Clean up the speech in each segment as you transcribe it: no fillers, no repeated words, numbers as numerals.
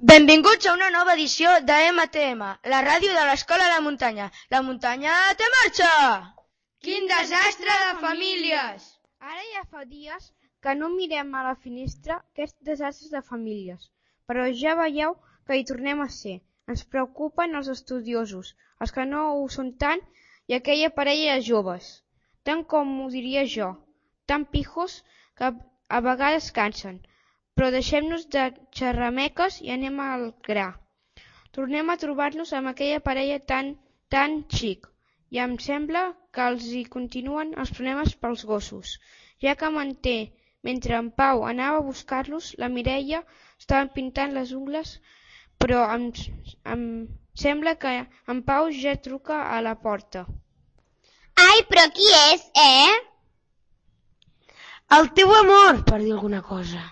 Benvinguts a una nova edició de MTM, la ràdio de l'Escola de Muntanya. La muntanya té marxa! Quin desastre de famílies! Ara ja fa dies que no mirem a la finestra aquests desastres de famílies, però ja veieu que hi tornem a ser. Ens preocupen els estudiosos, els que no ho són tant i aquella parella de joves, tant com ho diria jo, tan pijos que a vegades cansen. Però deixem-nos de xerrameques i anem al gra. Tornem a trobar-nos amb aquella parella tan xic, i em sembla que els hi continuen els problemes pels gossos, ja que mentre en Pau anava a buscar-los, la Mireia estava pintant les ungles, però em sembla que en Pau ja truca a la porta. Ai, però qui és, El teu amor, per dir alguna cosa.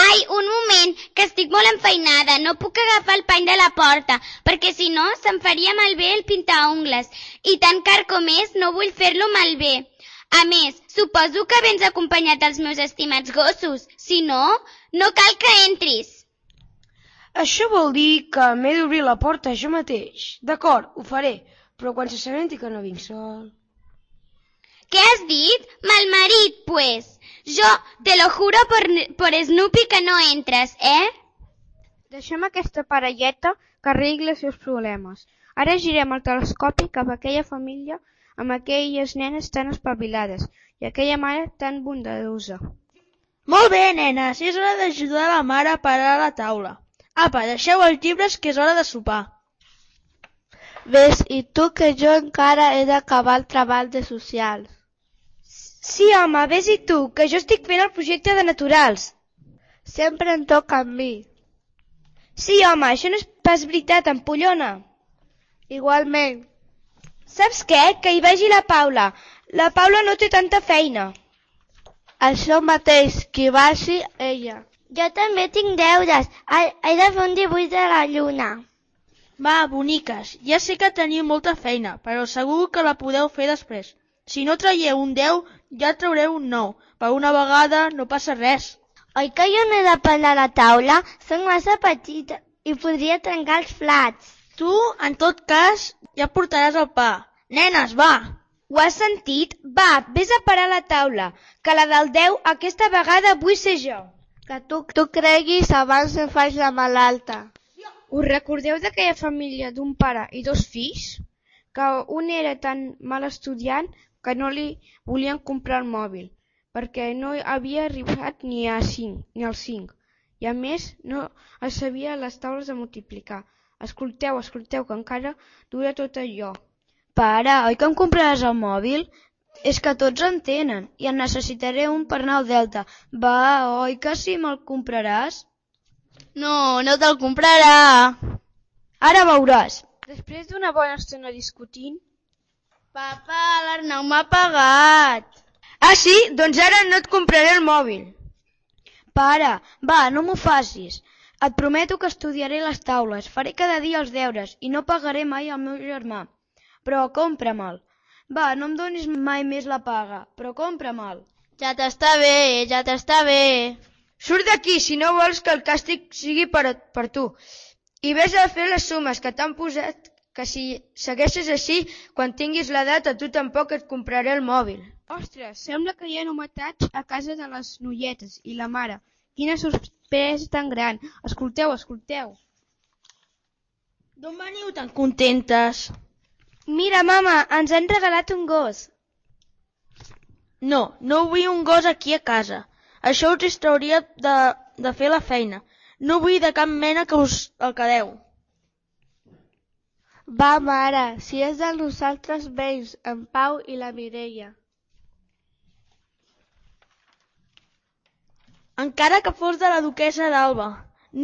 Ai, un moment, que estic molt enfeinada. No puc agafar el pany de la porta, perquè si no se'm faria malbé el pintaungles. I tan car com és, no vull fer-lo malbé. A més, suposo que vens acompanyat dels meus estimats gossos. Si no, no cal que entris. Això vol dir que m'he d'obrir la porta jo mateix. D'acord, ho faré, però quan s'assabenti que no vinc sol... ¿Qué has dit? Malmarit, pues. Jo te lo juro por Snoopy que no entres, Deixem aquesta parelleta que arregli els seus problemes. Ara girem el telescopi cap a aquella família amb aquelles nenes tan espavilades i aquella mare tan bondadosa. Molt bé, nenes, és hora d'ajudar la mare a parar la taula. Apa, deixeu els llibres que és hora de sopar. Ves, i tu que jo encara he d'acabar el treball de socials. Sí, home, ves i tu, que jo estic fent el projecte de naturals. Sempre em toca a mi. Sí, home, això no és pas veritat, empollona. Igualment. Saps què? Que hi vagi la Paula. La Paula no té tanta feina. Això mateix, que hi vagi ella. Jo també tinc deures. He de fer un dibuix de la lluna. Va, boniques, ja sé que teniu molta feina, però segur que la podeu fer després. Si no traieu un 10, ja traureu un 9. Per una vegada no passa res. Oi que jo no he de pelar la taula? Soc massa petita i podria trencar els plats. Tu, en tot cas, ja portaràs el pa. Nenes, va! Ho has sentit? Va, vés a parar la taula, que la del 10 aquesta vegada vull ser jo. Que tu creguis abans em faig la malalta. Us recordeu d'aquella família d'un pare i dos fills? Que un era tan mal estudiant que no li volien comprar el mòbil, perquè no havia arribat ni al 5, i a més no es sabia les taules de multiplicar. Escolteu, que encara dura tot allò. Pare, oi que em compraràs el mòbil? És que tots en tenen, i en necessitaré un per anar al Delta. Va, oi que sí me'l compraràs? No, no te'l comprarà. Ara veuràs. Després d'una bona estona discutint, Papa, l'Arnau m'ha pagat. Ah, sí? Doncs ara no et compraré el mòbil. Pare, va, no m'ho facis. Et prometo que estudiaré les taules, faré cada dia els deures i no pagaré mai al meu germà. Però compra-me'l. Va, no em donis mai més la paga, però compra-me'l. Ja t'està bé. Surt d'aquí si no vols que el càstig sigui per tu. I vés a fer les sumes que t'han posat, que si segueixes així, quan tinguis l'edat a tu tampoc et compraré el mòbil. Ostres, sembla que hi ha novetats a casa de les noietes i la mare. Quina sorpresa tan gran. Escolteu. D'on veniu tan contentes? Mira, mama, ens han regalat un gos. No vull un gos aquí a casa. Això us distrauria de fer la feina. No vull de cap mena que us el quedeu. Va, mare, si és de nosaltres vells, en Pau i la Mireia. Encara que fos de la duquessa d'Alba.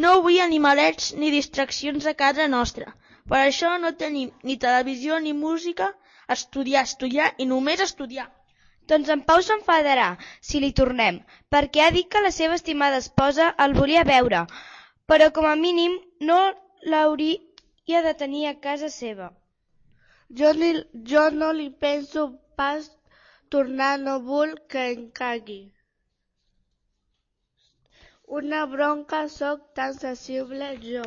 No vull animalets ni distraccions a casa nostra. Per això no tenim ni televisió ni música. Estudiar i només estudiar. Doncs en Pau s'enfadarà si li tornem, perquè ha dit que la seva estimada esposa el volia veure, però com a mínim no l'hauria de tenir a casa seva. Jo no li penso pas tornar, no vull que em cagui. Una bronca, sóc tan sensible jo.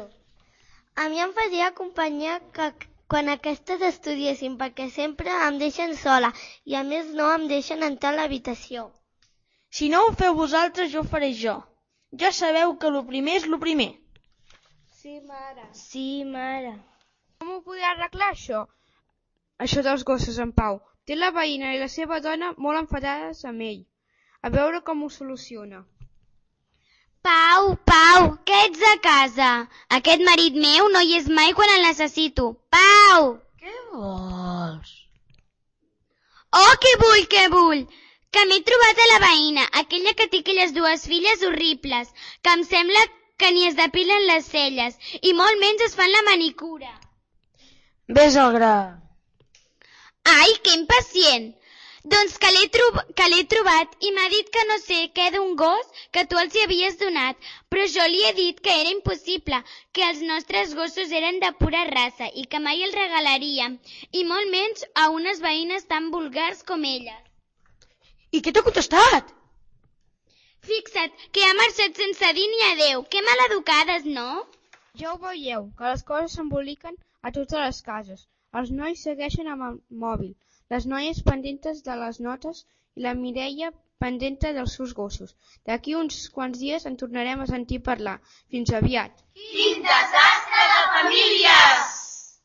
A mi em faria companyia que quan aquestes estudiessin, perquè sempre em deixen sola i a més no em deixen entrar a l'habitació. Si no ho feu vosaltres, jo ho faré jo. Ja sabeu que lo primer és lo primer. Sí, mare. Sí, mare. Com ho podrà arreglar, això? Això dels gossos en Pau. Té la veïna i la seva dona molt enfadades amb ell. A veure com ho soluciona. Pau, que ets a casa? Aquest marit meu no hi és mai quan el necessito. Pau! Què vols? Oh, què vull? Que m'he trobat a la veïna, aquella que té aquelles dues filles horribles, que em sembla que ni es depilen les celles i molt menys es fan la manicura. Ves al gra. Ai, que impacient! Doncs que l'he trobat i m'ha dit que no sé què d'un gos que tu els hi havies donat, però jo li he dit que era impossible, que els nostres gossos eren de pura raça i que mai els regalaríem, i molt menys a unes veïnes tan vulgars com elles. I què t'ha contestat? Fixa't, que ha marxat sense dir ni adeu. Que maleducades, no? Ja ho veieu, que les coses s'emboliquen a totes les cases. Els nois segueixen amb el mòbil, les noies pendentes de les notes i la Mireia pendenta dels seus gossos. D'aquí uns quants dies en tornarem a sentir parlar. Fins aviat. Quin desastre de famílies!